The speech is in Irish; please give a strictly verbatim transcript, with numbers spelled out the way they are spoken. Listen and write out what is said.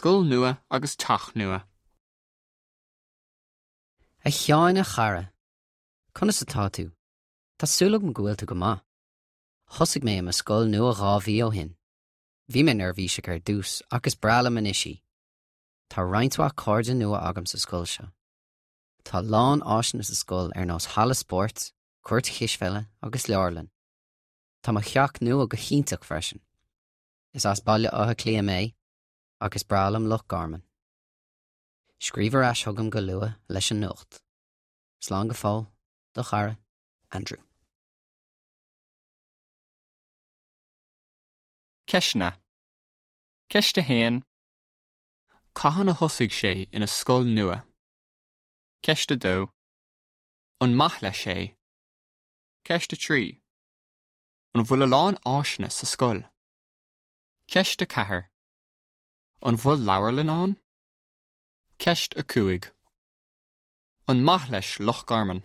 Scoil nua agus teach nua. A Sheáin a chara. Conas atá tú? Tá súil agam go bhfuil tú go maith. Thosaigh mé i mo scoil nua dhá mhí ó shin. Bhí mé neirbhíseach ar dtús ach is breá liom anois í. Tá roinnt mhaith cairde nua agam sa scoil seo. Tá a lán áiseanna sa scoil ar nós halla spóirt, cúirt chispheile agus leabharlann. Tá mo theach nua go hiontach freisin. Is as Baile Átha Cliath mé agus breá liom Loch Garman. Scríobh ar ais chugam go luath leis an nuacht. Slán go fóill, do chara, Andrew. Ceisteanna. Ceist a haon. Cathain a thosaigh sé ina scoil nua? Ceist a dó. An maith leis é? Ceist a trí. An bhfuil a lán áiseanna sa scoil? Ceist a ceathair. An bhfuil leabharlann ann? Ceist a cúig. An maith leis Loch Garman?